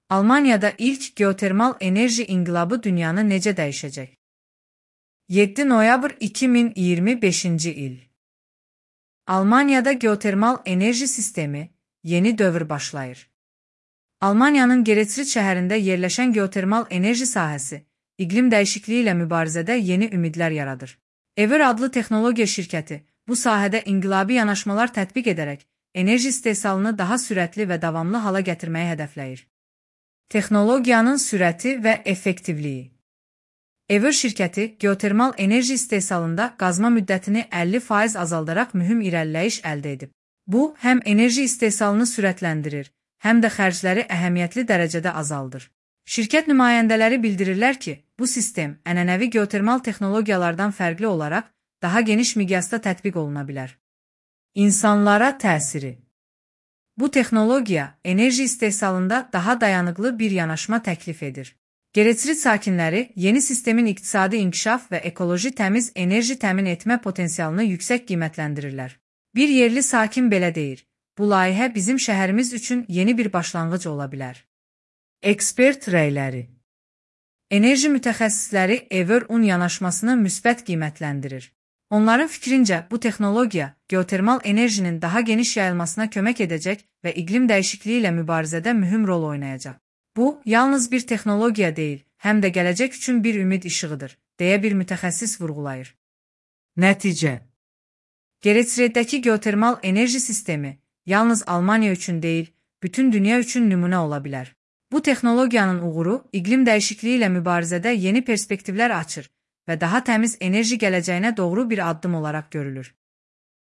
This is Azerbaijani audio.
Almaniyada ilk geotermal enerji inqilabı dünyanı necə dəyişəcək? 7 noyabr 2025-ci il. Almaniyada geotermal enerji sistemi yeni dövr başlayır. Almaniyanın Geretsried şəhərində yerləşən geotermal enerji sahəsi iqlim dəyişikliyi ilə mübarizədə yeni ümidlər yaradır. Ever adlı texnologiya şirkəti bu sahədə inqilabi yanaşmalar tətbiq edərək enerji istehsalını daha sürətli və davamlı hala gətirməyi hədəfləyir. Texnologiyanın sürəti və effektivliyi. Ever şirkəti geotermal enerji istehsalında qazma müddətini 50% azaldaraq mühüm irəliləyiş əldə edib. Bu, həm enerji istehsalını sürətləndirir, həm də xərcləri əhəmiyyətli dərəcədə azaldır. Şirkət nümayəndələri bildirirlər ki, bu sistem ənənəvi geotermal texnologiyalardan fərqli olaraq daha geniş miqyasda tətbiq oluna bilər. İnsanlara təsiri. Bu texnologiya enerji istehsalında daha dayanıqlı bir yanaşma təklif edir. Geretsried sakinləri yeni sistemin iqtisadi inkişaf və ekoloji təmiz enerji təmin etmə potensialını yüksək qiymətləndirirlər. Bir yerli sakin belə deyir, bu layihə bizim şəhərimiz üçün yeni bir başlanğıc ola bilər. Ekspert rəyləri. Enerji mütəxəssisləri Ever-Un yanaşmasını müsbət qiymətləndirir. Onların fikrincə, bu texnologiya geotermal enerjinin daha geniş yayılmasına kömək edəcək və iqlim dəyişikliyi ilə mübarizədə mühüm rol oynayacaq. Bu, yalnız bir texnologiya deyil, həm də gələcək üçün bir ümid işığıdır, deyə bir mütəxəssis vurğulayır. Nəticə. Geretsrieddəki geotermal enerji sistemi yalnız Almaniya üçün deyil, bütün dünya üçün nümunə ola bilər. Bu texnologiyanın uğuru iqlim dəyişikliyi ilə mübarizədə yeni perspektivlər açır və daha təmiz enerji gələcəyinə doğru bir addım olaraq görülür.